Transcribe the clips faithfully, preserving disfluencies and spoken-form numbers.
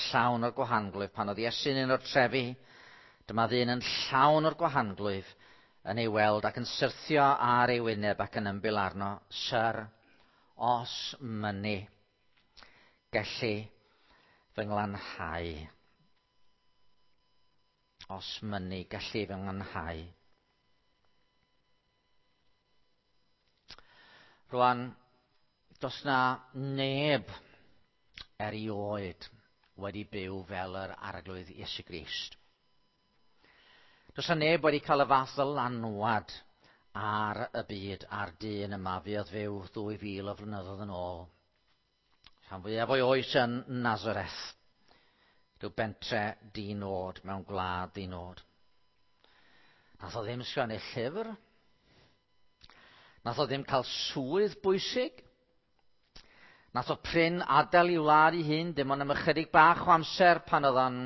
llawn o'r gwahanglwyf. Pan oedd Iesu'n un o'r trefi, dyma ddyn yn llawn o'r gwahanglwyf yn ei weld ac yn syrthio ar ei wyneb ac yn ymbil arno. Syr, os mynni, gelli fy nglanhau. Os mynni, gelli fy nglanhau. Rwan, does na neb erioed wedi byw fel yr Arglwydd Iesu Grist. Does na neb wedi cael y fath ddylanwad ar y byd a'r dyn yma fuodd fyw ddwy fil o flynyddoedd yn ôl. Rhan fwyaf o'i oes yn Nazareth, rhyw bentre di-nod mewn gwlad di-nod. Nath o ddim sgwennu llyfr. Nath o ddim cael swydd bwysig. Nath o prin adael i wlad ei hun, dim ond am ychydig bach o amser pan oedd o'n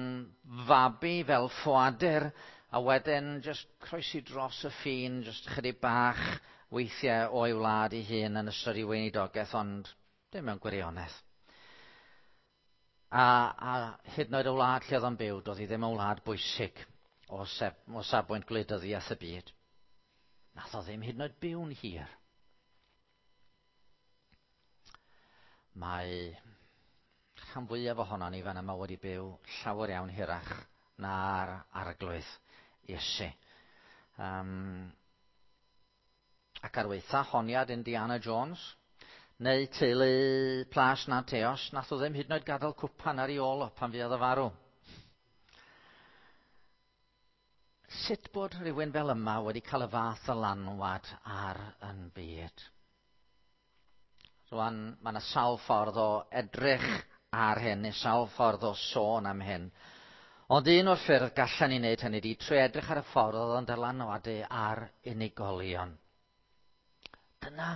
fabi fel ffoadur, a wedyn just croesi dros y ffin, just ychydig bach weithiau o'i wlad ei hun yn ystod ei weinidogaeth, ond dim mewn gwirionedd. A, a hyd yn oed y wlad lle oedd o'n byw, doedd hi ddim yn wlad bwysig o, sef, o safbwynt gwleidyddiaeth y byd. Nath o ddim hyd yn oed byw'n hir. Mae rhan fwyaf ohonon ni fan yma wedi byw llawer iawn hirach na'r Arglwydd Iesu. Um, ac ar weitha honiad Indiana Jones, neu teulu Plas Nanteos, nath o ddim hyd yn oed gadael cwpan ar ei ôl o pan fuodd o farw. Sut bod rhywun fel yma wedi cael y fath ddylanwad ar yn byd? Rwan, mae yna sawl ffordd o edrych ar hyn, neu sawl ffordd o sôn am hyn. Ond un o'r ffyrdd gallan ni wneud hynny ydy trwy edrych ar y ffordd oedd o'n dylanwadu ar unigolion. Dyna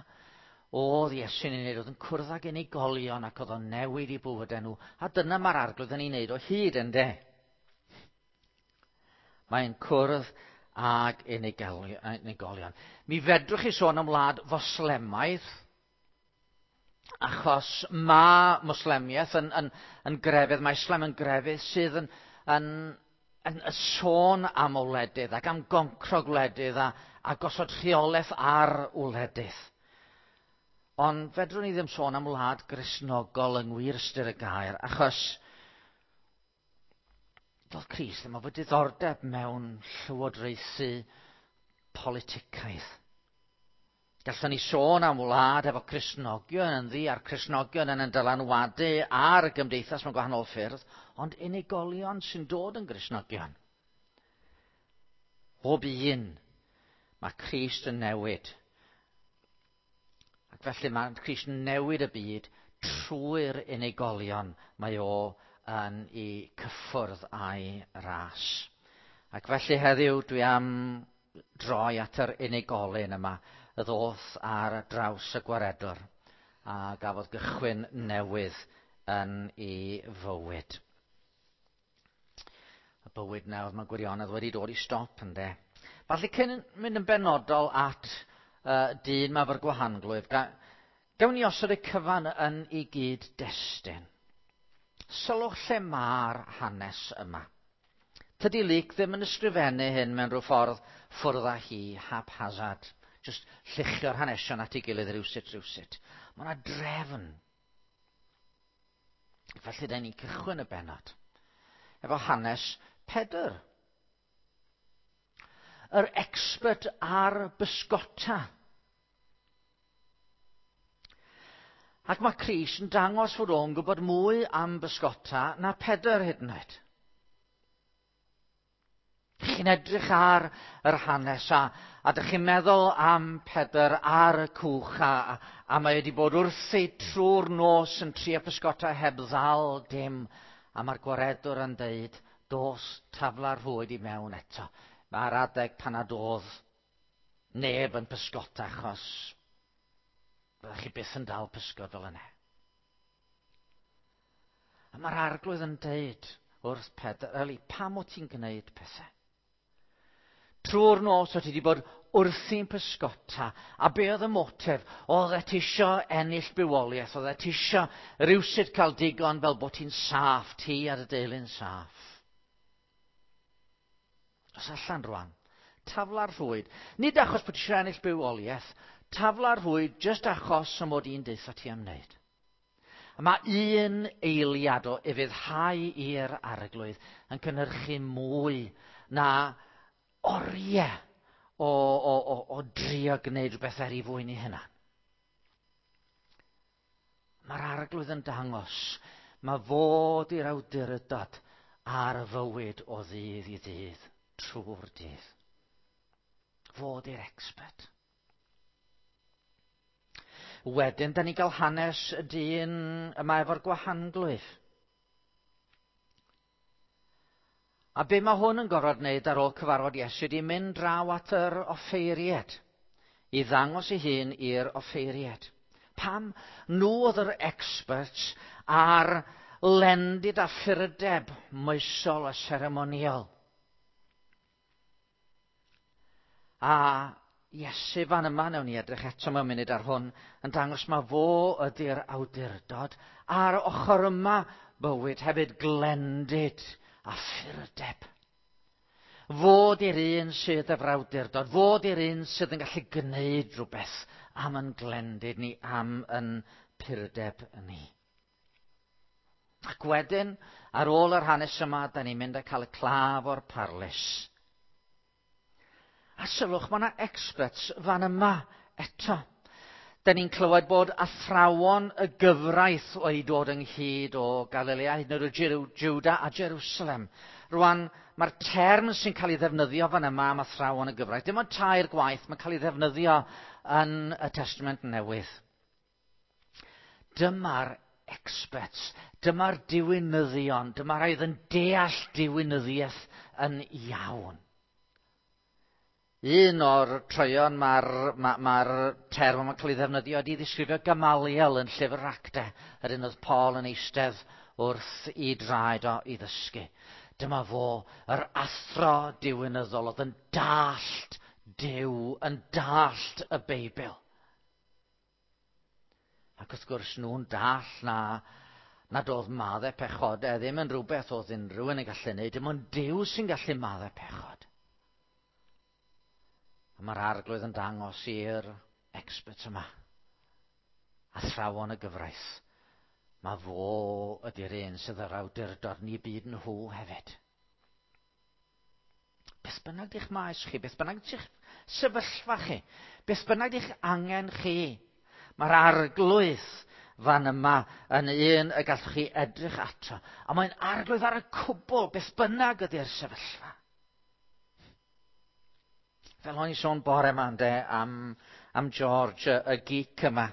oedd Iesu'n ei wneud, oedd yn cwrdd ag unigolion ac oedd o'n newid i bywydau nhw. A dyna mae'r Arglwydd yn ei wneud o hyd, ynde? Mae'n cwrdd ag unigolion. Mi fedrwch chi sôn am wlad Foslemaidd, achos mae Moslemiaeth yn, yn, yn grefydd, mae Islam yn grefydd sydd yn, yn, yn, yn sôn am wledydd ac am goncro gwledydd a, a gosod rheolaeth ar wledydd. Ond fedrwn ni ddim sôn am wlad Gristnogol yng ngwir ystyr y gair, achos doedd Crist ddim efo diddordeb mewn llywodraethu politicaidd. Gallwn ni sôn am wlad efo Cristnogion ynddi, a'r Cristnogion yn yn dylanwadu ar y gymdeithas mewn gwahanol ffyrdd, ond unigolion sy'n dod yn Gristnogion. Bob un, mae Crist yn newid. Ac felly mae Crist yn newid y byd trwy'r unigolion mae o yn ei cyffwrdd a'i ras. Ac felly heddiw dwi am droi at yr unigolyn yma, y ddoth ar draws y gwaredwr a gafodd gychwyn newydd yn ei fywyd. Y bywyd newydd mae gwirionedd wedi dod i stop, ynde. Falle cyn mynd yn benodol at uh, dyn ma fo'r gwahanglwyf, ga, gawn ni osod y cyfan yn ei gyd-destun. Sylwch lle mae'r hanes yma. Tydi Luc ddim yn ysgrifennu hyn mewn rhyw ffordd ffwrdd â hi, haphazard. Just lluchio'r hanesion at ei gilydd rywsut, rywsut. Mae yna drefn. Felly, da ni'n cychwyn y bennod efo hanes Pedr. Yr expert ar bysgota. Ac mae Crist yn dangos fod o'n gwybod mwy am bysgota na Pedr hyd yn oed. Chi'n edrych ar yr hanes a, a dych chi'n meddwl am Pedr ar y cwch a, a, a mae wedi bod wrthi trwy'r nos yn trio pysgota heb ddal dim. A mae'r gwaredwr yn deud, dos tafla'r rhwyd i mewn eto. Mae'r adeg pan nad oedd neb yn pysgota achos byddech chi byth yn dal pysgod fel yna. A mae'r Arglwydd yn deud wrth Pedr, Eli, pam o ti'n gwneud pethau? Trwy'r nos o ti wedi bod wrthi'n pysgota. A be oedd y motif? Oedd e ti isio ennill bywoliaeth, oedd e ti isio rywsut cael digon fel bod ti'n saff, ti ar y deulu'n saff. Os allan rwan, tafla'r rhwyd. Nid achos bod ti eisiau ennill bywoliaeth, tafla'r rhwyd jyst achos y mod i'n deutha ti am wneud. A mae un eiliad o ufuddhau i'r Arglwydd yn cynhyrchu mwy na oriau o, o, o, o drio gwneud rhywbeth er ei fwyn ei hunan. Mae'r Arglwydd yn dangos, mae fod i'r awdurdod ar y fywyd o ddydd i ddydd, trwy'r dydd. Fod i'r expert. Wedyn, da ni gael hanes y dyn yma efo'r gwahanglwyf. A be mae hwn yn gorfod wneud ar ôl cyfarfod Iesu ydy mynd draw at yr offeiriad, i ddangos ei hun i'r offeiriad. Pam? Nhw oedd yr experts ar lendid a ffyrdeb moesol a seremoniol. A Iesu fan yma, newn ni edrych eto mewn munud ar hwn, yn dangos ma fo ydy'r awdurdod, a'r ochr yma bywyd hefyd glendid a ffyrdeb. Fod i'r un sydd efo'r awdurdod, fod i'r un sydd yn gallu gwneud rhywbeth am yn glendid ni, am yn purdeb ni. Ac wedyn, ar ôl yr hanes yma, da ni'n mynd a cael y claf o'r parlys. A sylwch, mae yna experts fan yma eto. Da ni'n clywed bod athrawon y gyfraith wedi dod ynghyd o Galilea, hyd yn oed o Juda a Jerusalem. Rwan, mae'r term sy'n cael ei ddefnyddio fan yma am athrawon y gyfraith, dim ond tair gwaith, mae'n cael ei ddefnyddio yn y Testament Newydd. Dyma'r experts, dyma'r diwinyddion, dyma'r rhai oedd yn deall diwinyddiaeth yn iawn. Un o'r troeon mae'r ma, ma term yma'n cael ei ddefnyddio ydy ddisgrifio Gamaliel yn llyfr Actau, yr un oedd Paul yn eistedd wrth i draed o i ddysgu. Dyma fo, yr athro diwinyddol oedd yn dallt Duw, yn dallt y Beibl. Ac wrth gwrs nhw'n dallt na nad oedd maddau pechodau ddim yn rhywbeth oedd unrhyw un yn gallu gwneud, dim ond Duw sy'n gallu maddau pechod. A mae'r Arglwydd yn dangos i'r experts yma, athrawon y gyfraith, mae fo ydy'r un sydd yr awdurdod ni byd nhw hefyd. Beth bynnag di'ch maes chi, beth bynnag di'ch sefyllfa chi, beth bynnag di'ch angen chi, mae'r Arglwydd fan yma yn un y gallwch chi edrych ato. A mae'n Arglwydd ar y cwbl, beth bynnag ydy'r sefyllfa. Fel o'n i sôn bore yma ynde, am, am George, y, y geek yma,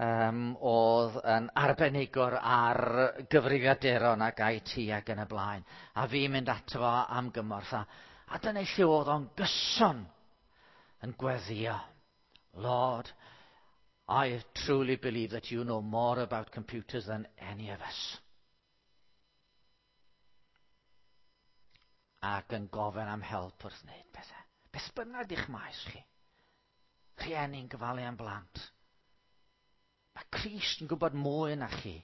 um, oedd yn arbenigwr ar gyfrifiaduron ac I T ac yn y blaen. A fi'n mynd ato fo am gymorth. A, a dyna lle oedd o'n gyson yn gweddïo. Lord, I truly believe that you know more about computers than any of us. Ac yn gofyn am help wrth wneud pethau. Beth bynnag di'ch maes chi. Rhieni'n gofalu am blant. Mae Crist yn gwybod mwy na chi.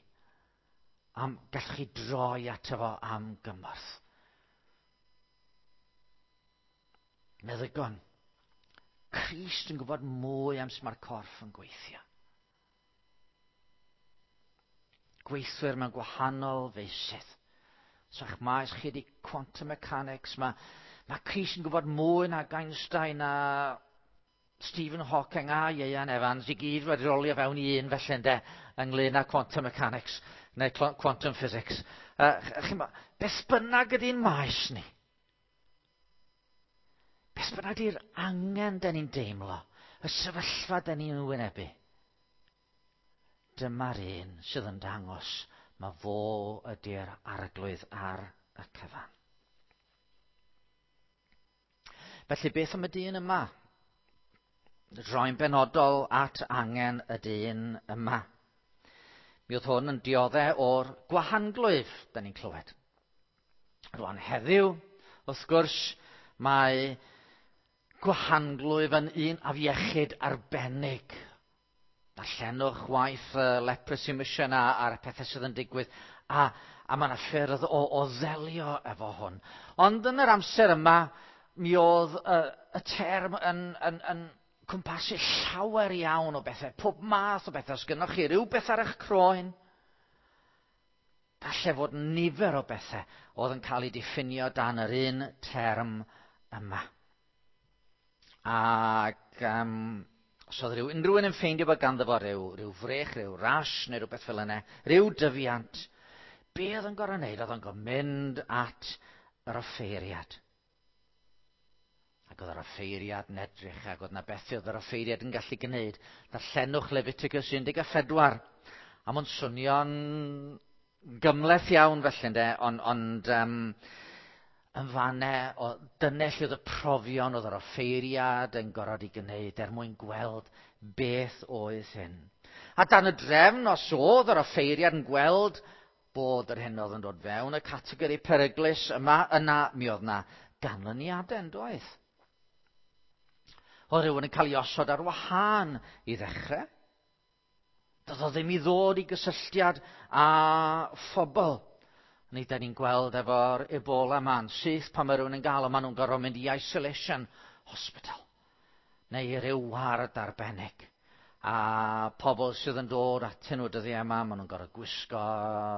Am, gallwch chi droi ato fo am gymorth. Meddygon. Crist yn gwybod mwy am sut mae'r corff yn gweithio. Gweithwyr mewn gwahanol feysydd. So eich maes chi ydi quantum mechanics, mae, mae Crist yn gwybod mwy na Einstein a Stephen Hawking a Ieuan Evans i gyd wedi rolio fewn i un felly ynde, ynglyn â quantum mechanics neu quantum physics. Uh, chi'mbo, beth bynnag ydy'n maes ni? Beth bynnag ydy'r angen da ni'n deimlo, y sefyllfa da ni'n wynebu? Dyma'r un sydd yn dangos mae fo ydy'r Arglwydd ar y cyfan. Felly beth am y dyn yma? Droi'n benodol at angen y dyn yma. Mi oedd hwn yn dioddef o'r gwahanglwyf, da ni'n clywed. Rwan heddiw, wrth gwrs, mae gwahanglwyf yn un afiechyd arbennig. Darllenwch waith uh, Leprosy Mission a, a'r pethau sydd yn digwydd, a, a mae yna ffyrdd o, o ddelio efo hwn. Ond yn yr amser yma, mi oedd uh, y term yn, yn, yn cwmpasu llawer iawn o bethau, pob math o bethau. Os gynnoch chi rhywbeth ar eich croen, gallai fod nifer o bethau oedd yn cael eu diffinio dan yr un term yma. Ac um, os oedd rhyw, unrhyw un yn ffeindio bod ganddo fo rhyw, rhyw frech, rhyw rash neu rhywbeth fel yna, rhyw dyfiant, be oedd yn gorfod wneud? Oedd yn gorfod mynd at yr offeiriad. Ac oedd yr offeiriad yn edrych, ac oedd yna bethau oedd yr offeiriad yn gallu gwneud. Darllenwch Leviticus un deg pedwar. A mae'n swnio'n gymhleth iawn felly, ynde, ond, ond um, yn fanne, o, dyna lle oedd y profion oedd yr offeiriad yn gorfod i gwneud er mwyn gweld beth oedd hyn. A dan y drefn, os oedd yr offeiriad yn gweld bod yr hyn oedd yn dod fewn y categori peryglus yma, yna mi oedd yna ganlyniadau yn doedd. Oedd rhywun yn cael ei osod ar wahân i ddechrau. Doedd o ddim i ddod i gysylltiad â phobl. Ni da ni'n gweld efo'r Ebola ma'n syth pan mae rhywun yn gael o, maen nhw'n gorfod mynd i isolation hospital neu i ryw ward arbennig. A pobl sydd yn dod atyn nhw dyddiau yma, maen nhw'n gorfod gwisgo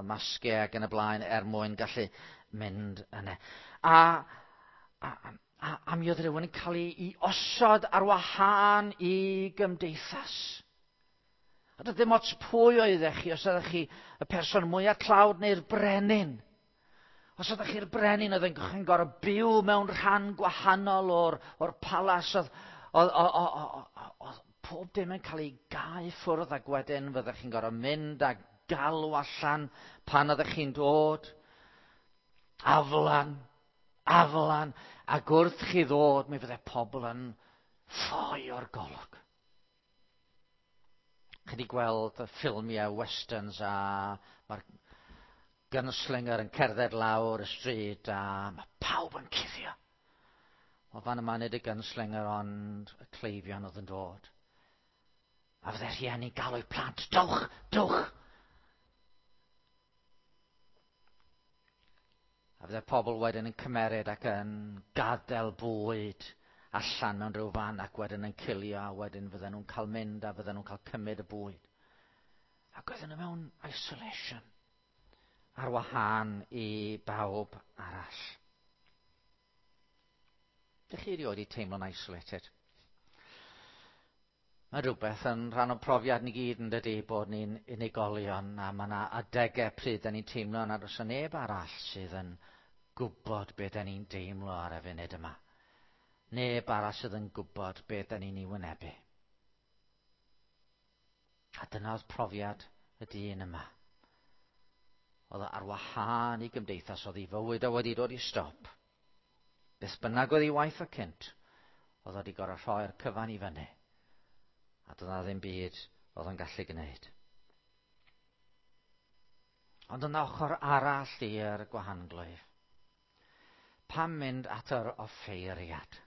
masgiau ac yn y blaen er mwyn gallu mynd yna. A, a, a, a mi oedd rhywun yn cael ei osod ar wahân i gymdeithas. A doedd ddim ots pwy oeddech chi, os oeddech chi y person mwyaf tlawd neu'r brenin. Os oeddech chi'r brenin, oedd yn gorfod byw mewn rhan gwahanol o'r, o'r palas, oedd, oedd, oedd, oedd pob dim yn cael ei gau ffwrdd, ac wedyn fyddech chi'n gorfod mynd a galw allan pan oeddech chi'n dod. Aflan, aflan, ac wrth chi ddod, mi fydde pobl yn ffoi o'r golwg. Chi wedi gweld y ffilmiau westerns a mae'r gunslinger yn cerdded lawr y stryd a mae pawb yn cuddio. Wel, fan yma nid y gunslinger ond y cleifion oedd yn dod. A fydde rhieni galw eu plant, dowch, dowch! A fydde pobl wedyn yn cymeryd ac yn gadael bwyd allan mewn rhyw fan ac wedyn yn cilio, a wedyn fydden nhw'n cael mynd a fydden nhw'n cael cymryd y bwyd. Ac oedden nhw mewn isolation ar wahân i bawb arall. Dych chi erioed wedi teimlo'n isolated? Mae rhywbeth yn rhan o'n profiad ni gyd yn dydy, bod ni'n unigolion, a mae yna adegau pryd da ni'n teimlo nad oes neb arall sydd yn gwybod beth da ni'n deimlo ar y funud yma. Neb arall sydd yn gwybod beth da ni'n ei wynebu. A dyna oedd profiad y dyn yma. Oedd ar wahân i gymdeithas, oedd ei fywyd o wedi dod i stop. Beth bynnag oedd ei waith o cynt, oedd wedi gorfod rhoi'r cyfan i fyny. A dyna ddim byd oedd yn gallu gwneud. Ond yna ochr arall i'r gwahanglwyf. Pam mynd at yr offeiriad?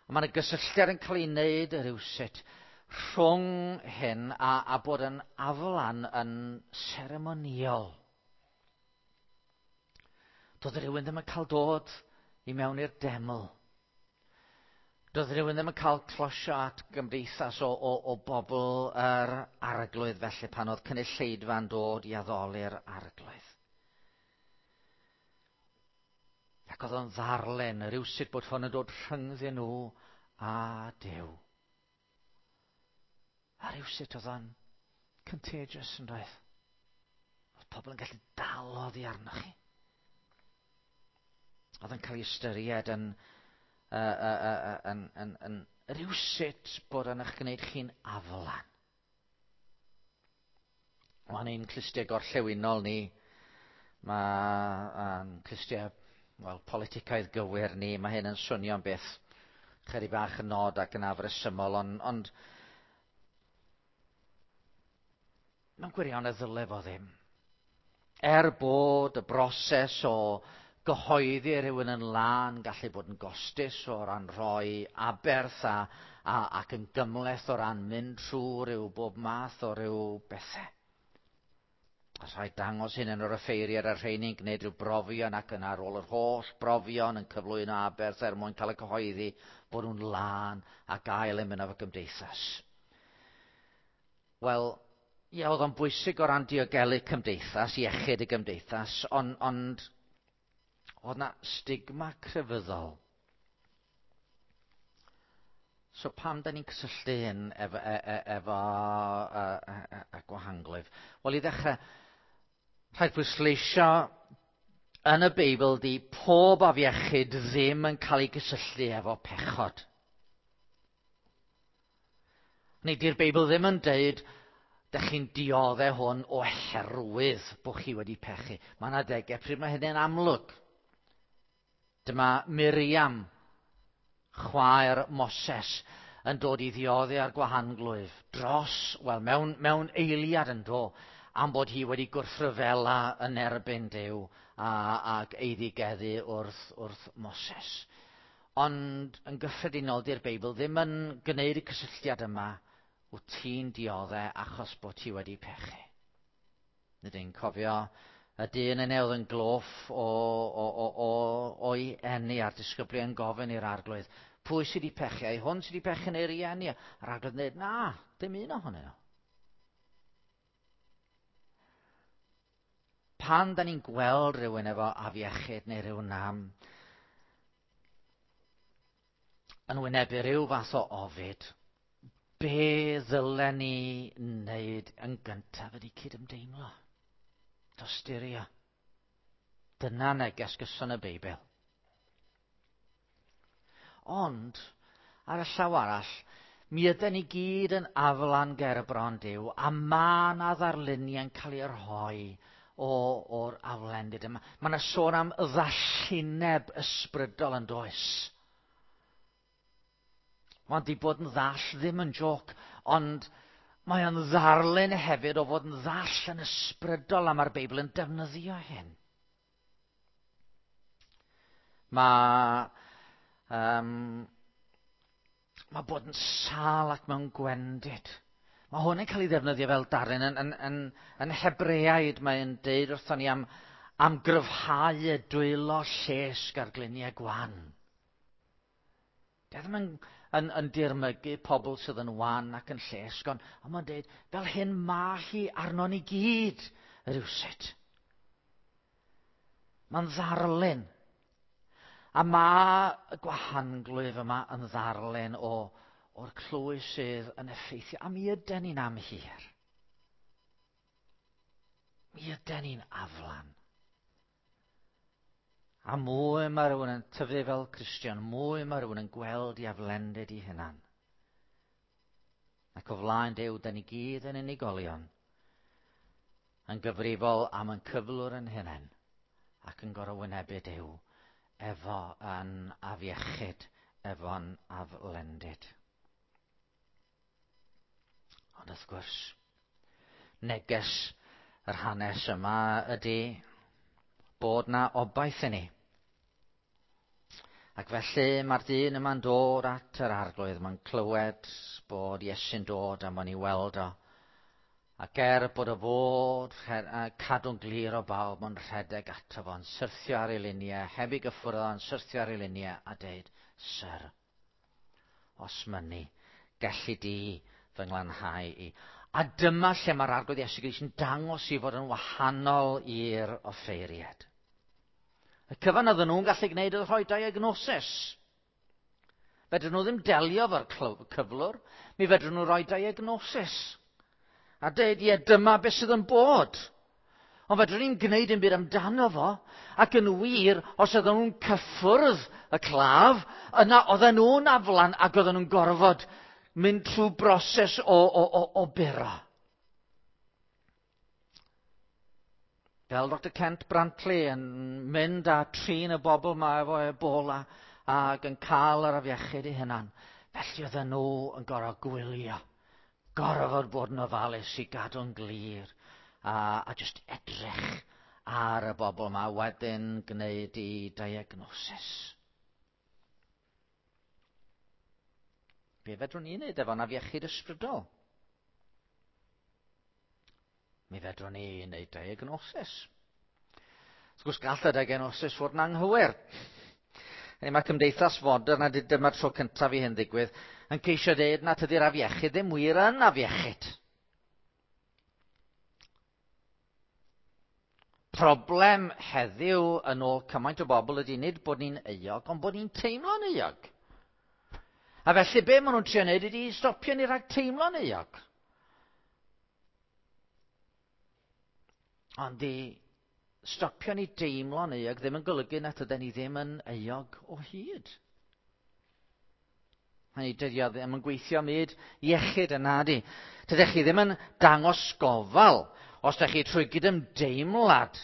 A mae yna gysylltiad yn cael ei wneud rhywsut rhwng hyn a, a bod yn aflan yn seremonïol. Doedd rhywun ddim yn cael dod i mewn i'r deml. Doedd rhywun ddim yn cael closio at gymdeithas o, o, o bobl yr arglwydd felly pan oedd cynulleidfa'n dod i addoli'r arglwydd. Ac oedd o'n ddarllen rhywsut bod hwn yn dod rhyngddyn nhw a Duw. A rhywsut oedd o'n contagious yn doedd. Oedd pobl yn gallu dal oddi arnoch chi. Oedd yn cael ei ystyried yn, uh, uh, uh, yn, yn, yn, yn rhywsut bod yn eich gwneud chi'n aflan. Mae'n ein clustiau gorllewinol ni. Mae clustiau, wel, politicaidd gywir ni. Mae hyn yn swnio'n beth chydig bach yn nod ac yn afresymol, ond, ond mewn gwirionedd ddyle fo ddim. Er bod y broses o Gyhoeddi rhywun yn lân gallu bod yn gostus o ran rhoi aberth a, a, ac yn gymhleth o ran mynd trwy rhyw bob math o ryw bethau. A rhaid dangos hyn yn yr offeiriad a'r rheini'n gwneud rhyw brofion ac yn ar ôl yr holl brofion yn cyflwyno aberth er mwyn cael y cyhoeddi bod nhw'n lân a gael ymuno efo gymdeithas. Wel, ie, oedd o'n bwysig o ran diogelu cymdeithas, iechyd y gymdeithas, ond, ond oedd na stigma crefyddol. So pam da ni'n cysylltu hyn efo, e, e, efo e, e, e, e, gwahanglwyf? Wel, i ddechrau, rhaid pwysleisio yn y Beibl di pob afiechyd ddim yn cael ei gysylltu efo pechod. Neu di'r Beibl ddim yn deud, dych chi'n dioddef hwn oherwydd bod chi wedi pechu. Mae yna adegau pryd mae hynny'n amlwg. Dyma Miriam, chwaer Moses, yn dod i ddioddef ar gwahanglwyf dros, wel, mewn, mewn eiliad yn do, am bod hi wedi gwrthryfela yn erbyn Duw a, ac eiddigeddu wrth, wrth Moses. Ond yn gyffredinol, di'r Beibl ddim yn gwneud y cysylltiad yma, wyt ti'n dioddef achos bod ti wedi pechu. Nid ein cofio y dyn yna oedd yn gloff o, o, o, o, o'i eni a'r disgyblion gofyn i'r arglwydd, pwy sydd wedi pechu? Ai hwn sydd wedi pechu neu'r rieni? A'r arglwydd yn dweud, na, dim un ohonyn nhw. Pan da ni'n gweld rhywun efo afiechyd neu rhyw nam, yn wynebu rhyw fath o ofid, be ddylen ni wneud yn gyntaf ydy cydymdeimlo? Tosturio. Dyna neges gyson y Beibl. Ond, ar y llaw arall, mi yden ni gyd yn aflan ger y bron Duw, a ma' 'na ddarluniau'n cael eu rhoi o, o'r aflendid yma. Mae yna sôn am ddallineb ysbrydol yn does. Mae'n di bod yn ddall ddim yn joc, ond mae o'n ddarlun hefyd o fod yn ddall yn ysbrydol, a mae'r Beibl yn defnyddio hyn. Mae, um, mae bod yn sâl ac mewn gwendid. Mae hwn yn cael ei ddefnyddio fel darlun. Yn, yn, yn, yn Hebreaid mae'n deud wrthon ni am, am gryfhau y dwylo llesg ar gliniau gwan. Di ddim yn, yn, yn dirmygu pobl sydd yn wan ac yn llesg, ond, ond mae'n deud, fel hyn mae hi arnon ni gyd, rywsut. Mae'n ddarlun. A mae y gwahanglwyf yma yn ddarlun o, o'r clwy sydd yn effeithio. A mi yden ni'n amhir. Mi yden ni'n aflan. A mwy mae rhywun yn tyfu fel Cristion, mwy mae rhywun yn gweld i aflendid i hunan. Ac o flaen Duw, da ni gyd yn unigolion, yn gyfrifol am yn cyflwr yn hunain, ac yn gorfod wynebu Duw efo yn afiechyd, efo'n aflendid. Ond wrth gwrs, neges yr hanes yma ydy bod na obaith i ni. Ac felly mae'r dyn yma'n dod at yr arglwydd, mae'n clywed bod Iesu'n dod a mae'n ei weld o. Ac er bod o fod cadw'n glir o bawb, mae'n rhedeg ato fo, yn syrthio ar ei luniau, heb ei gyffwrdd o, yn syrthio ar ei luniau a deud, Syr, os mynni, gelli di fy nglanhau i. A dyma lle mae'r arglwydd Iesu Grist yn dangos i fod yn wahanol i'r offeiriad. Y cyfan oedden nhw'n gallu gwneud oedd rhoi diagnosis. Fedrwn nhw ddim delio efo'r cyflwr, mi fedrwn nhw rhoi diagnosis. A deud, ie, dyma beth sydd yn bod. Ond fedrwn ni'n gwneud yn byd amdano fo, ac yn wir, os oedden nhw'n cyffwrdd y claf, yna oedden nhw'n aflan ac oedden nhw'n gorfod mynd trwy broses o, o, o, o buro. Fel Doctor Kent Brantley yn mynd a trin y bobl yma efo Ebola ac yn cael yr afiechyd eu hunan. Felly oedden nhw yn gorfod gwylio, gorfod bod yn ofalus i gadw'n glir a, a just edrych ar y bobl yma wedyn gwneud i diagnosis. Be fedrwn ni wneud efo'n afiechyd ysbrydol? Mi fedrwn ni wneud diagnosis. Wrth gwrs, gall y diagnosis fod yn anghywir. Hynny, mae cymdeithas fodern, a dyma'r tro cyntaf i hyn ddigwydd, yn ceisio dweud na tydi'r afiechyd ddim wir yn afiechyd. Problem heddiw yn ôl cymaint o bobl ydy nid bod ni'n euog, ond bod ni'n teimlo'n euog. A felly be maen nhw'n trio wneud ydy stopio ni rhag teimlo'n euog. Ond i stopio ni deimlo'n euog ddim yn golygu na tyden ni ddim yn euog o hyd. Hynny, dydy o ddim yn gweithio myd iechyd yna di. Tydych chi ddim yn dangos gofal os ydych chi trwy gydymdeimlad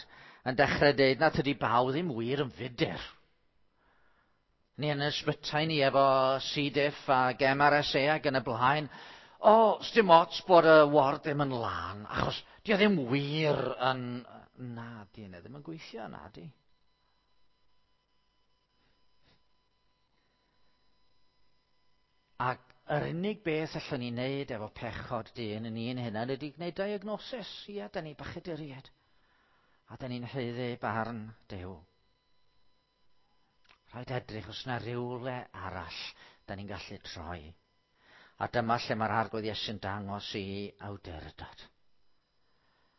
yn dechrau dweud na tydi bawb ddim wir yn fudur. Ni yn ysbytai ni efo C. diff ac M R S A ac yn y blaen. O, sdim ots bod y ward ddim yn lân, achos di o ddim wir yn... Na, di yna ddim yn gweithio, na di. Ac yr unig beth allwn ni wneud efo pechod dyn yn un hynna ydy gwneud diagnosis. Ia, da ni bechaduriaid. A da ni'n haeddu barn Duw. Rhaid edrych os yna rywle arall da ni'n gallu troi. A dyma lle mae'r Arglwydd Iesu'n dangos i awdurdod.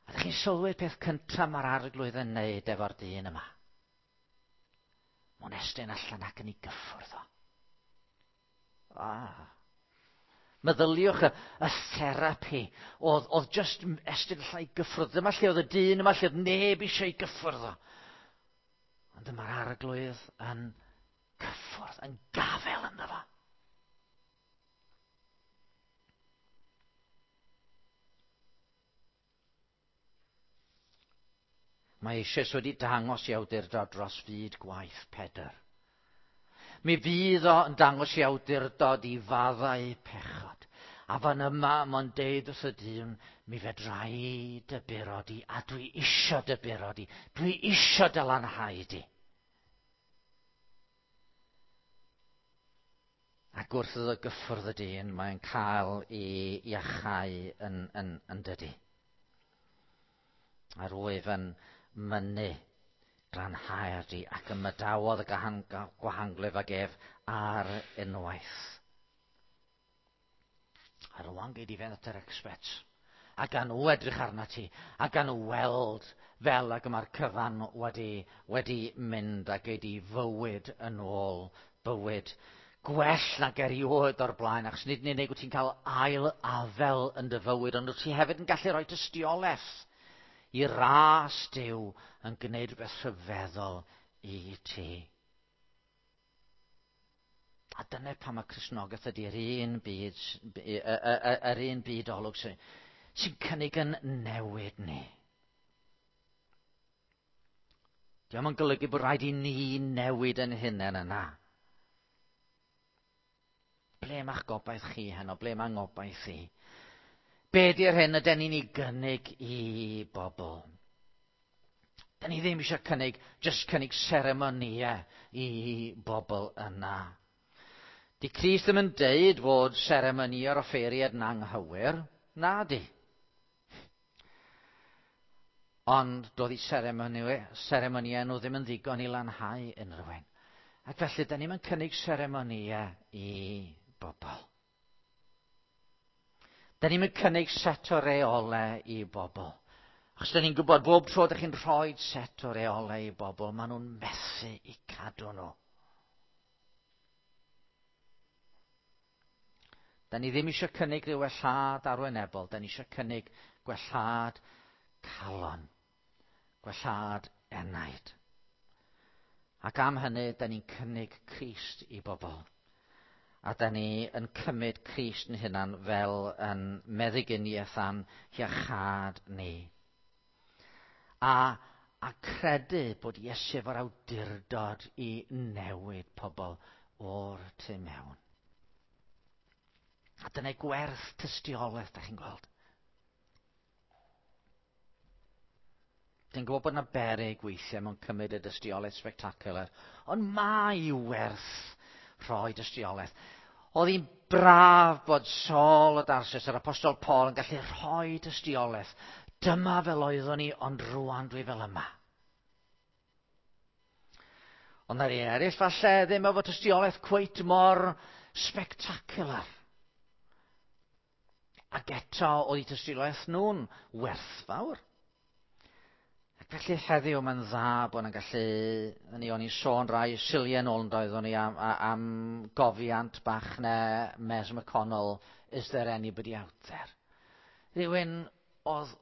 A ydych chi'n sylwi'r peth cyntaf mae'r Arglwydd yn neud efo'r dyn yma? Mae'n estyn allan ac yn ei gyffwrdd o. Ah. Meddyliwch y, y therapi oedd, oedd just estyn allan i gyffwrdd. Dyma lle oedd y dyn yma, lle oedd neb eisiau ei gyffwrdd o. Ond dyma'r Arglwydd yn cyffwrdd, yn gafel ynddo fo. Mae eisoes wedi dangos i awdurdod dros fyd gwaith Pedr. Mi fydd o yn dangos i awdurdod i faddau pechod. A fan yma mae'n deud wrth y dyn, mi fedra i dy buro di, a dwi isio dy buro di, dwi isio dy lanhau di. Ac wrth iddo gyffwrdd y dyn, mae'n cael ei iachau yn, yn, yn dydi. A rwyf yn mynnu glanhau'r di ac ymadawodd y gwahanglwyf ag ef ar unwaith. A rwan gei di fynd at yr experts. A gan nhw edrych arna ti, a gan nhw weld fel ag mae'r cyfan wedi, wedi mynd a gei di fywyd yn ôl bywyd gwell nag erioed o'r blaen, achos nid yn unig wyt ti'n cael ail afel yn dy fywyd, ond wyt ti hefyd yn gallu rhoi tystiolaeth i ras Duw yn gwneud rhywbeth rhyfeddol i ti. A dyna pam mae Cristnogaeth ydy'r un byd, yr un byd olwg sy'n sy cynnig yn newid ni. Dio'm yn golygu bod rhaid i ni newid yn hunain yna. Ble mae'ch gobaith chi heno? Ble mae ngobaith i? Be di'r hyn yden ni'n ei gynnig i bobl? Da ni ddim eisiau cynnig, just cynnig seremonïau i bobl yna. Di Crist ddim yn deud fod seremonïau'r offeiriad yn anghywir. Na di. Ond doedd i seremonïau nhw ddim yn ddigon i lanhau unrhyw un. Ac felly, da ni'n cynnig seremonïau i bobl. Da ni'n cynnig set o reolau i bobl. Achos da ni'n gwybod bob tro ydych chi'n rhoi set o reolau i bobl, maen nhw'n methu i cadw nhw. Da ni ddim eisiau cynnig rhyw wellhad arwynebol, da ni eisiau cynnig gwellhad calon, gwellhad enaid. Ac am hynny, da ni'n cynnig Crist i bobl. A da ni yn cymryd Crist yn hunan fel yn meddyginiaeth a'n hiachâd ni. A, a credu bod Iesu efo'r awdurdod i newid pobl o'r tu mewn. A dyna gwerth tystiolaeth, da chi'n gweld. Dwi'n gwybod bod yna beryg weithiau mewn cymryd y dystiolaeth spectacular, ond mae werth rhoi dystiolaeth. Oedd hi'n braf bod Saul o Darsus, yr apostol Paul, yn gallu rhoi dystiolaeth. Dyma fel oeddwn i, ond rwan dwi fel yma. Ond na rei eraill falle ddim efo tystiolaeth cweit mor spectacular. Ac eto oedd eu tystiolaeth nhw'n werthfawr. Ac felly heddiw mae'n dda bod nhw'n gallu, ni o'n i'n sôn rai siliau nôl yn doeddwn ni am, am gofiant bach ne Mes McConnell, Is there anybody out there? Rhywun oedd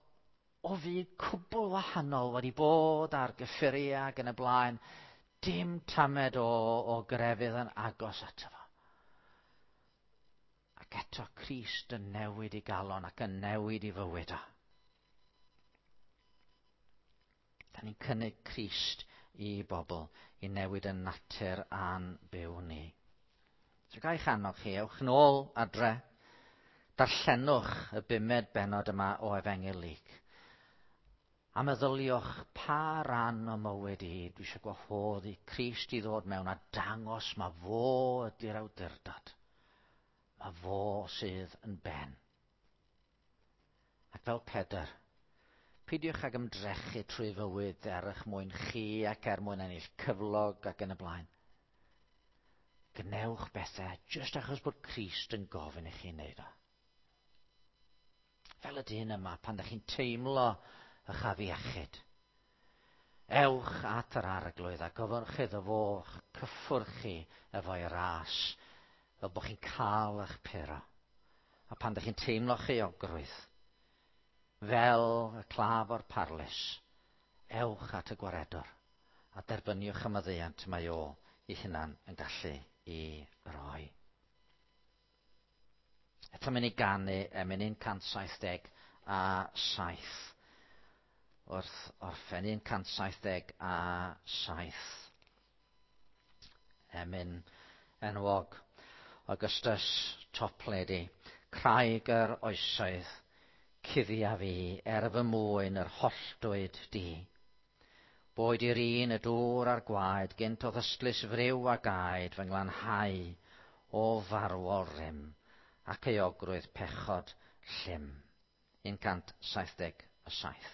o fyd cwbl wahanol wedi bod ar gyffuriau ac yn y blaen, dim tamed o, o grefydd yn agos ato fo. Ac eto Crist yn newid i galon ac yn newid i fywyd o. Da ni'n cynnig Crist i bobl i newid y natur a'n byw ni. So ga i'ch annog chi, ewch nôl adre, darllenwch y bumed bennod yma o Efengyl Luc. A meddyliwch pa ran o mywyd i, dwi eisiau gwahodd i Crist i ddod mewn a dangos ma fo ydy'r awdurdod. Ma fo sydd yn ben. Ac fel Pedr, peidiwch ag ymdrechu trwy fywyd er eich mwyn chi ac er mwyn ennill cyflog ac yn y blaen. Gwnewch bethau jyst achos bod Crist yn gofyn i chi wneud o. Fel y dyn yma, pan ydych chi'n teimlo eich afiechyd, ewch at yr arglwydd a gofynnwch iddo fo cyffwrdd chi efo'i ras, fel bod chi'n cael eich puro. A pan ydych chi'n teimlo euogrwydd, fel y claf o'r parlys, ewch at y gwaredwr a derbyniwch y maddeuant mae o ei hunan yn gallu i roi. Eto mynd i ganu emyn un cant saith deg a saith. Wrth orffen un cant saith deg a saith. Emyn enwog Augustus Toplady, Craig yr oesoedd, cuddia fi er fy mwyn yr holltwyd di. Boed i'r un y dŵr a'r gwaed, gynt o ddystlys friw a gaed fy nglanhau o farwol rym, ac euogrwydd pechod llym. un cant saith deg a saith.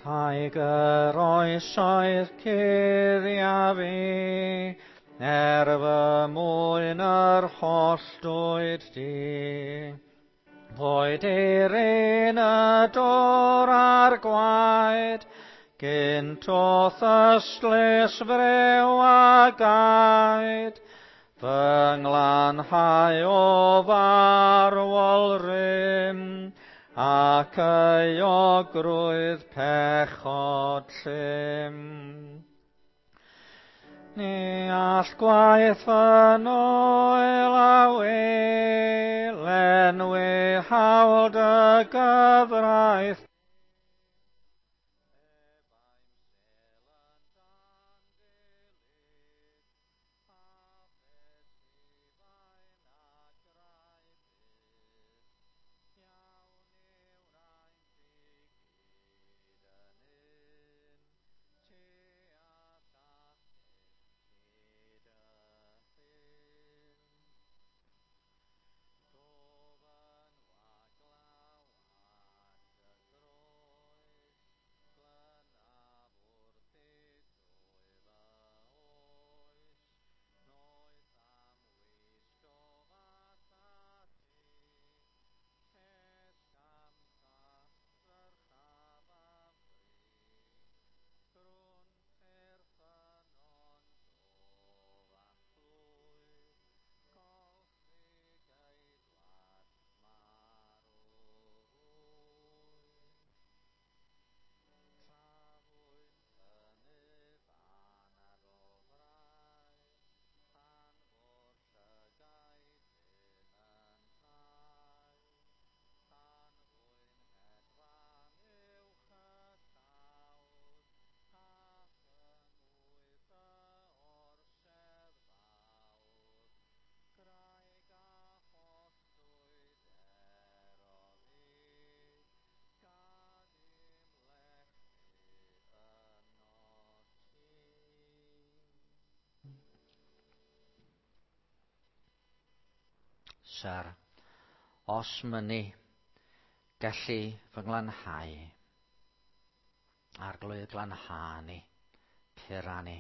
Craig yr oesoedd cuddia fi, er fy mwyn yr holltwyd di. Boed i'r un y dŵr a'r gwaed, gynt o'th ystlys friw a gaed, fy nglanhau o farwol rym, ac euogrwydd pechod llym. Ni all gwaith fy noel a wel, enwi hawl dy gyfraith. Syr, os mynni, gelli fy nglanhau. Arglwydd glanha ni, pura ni.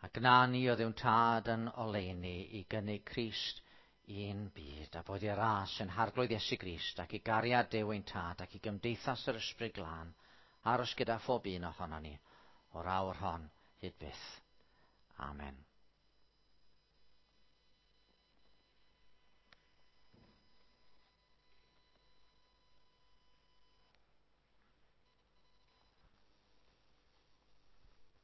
A gna ni o Dduw'n Tad yn oleuni i gynnig Crist i'n byd, a bod i ras yn Harglwydd Iesu Grist ac i gariad Duw ein Tad ac i gymdeithas yr Ysbryd Glân aros gyda phob un ohonon ni o'r awr hon hyd byth. Amen.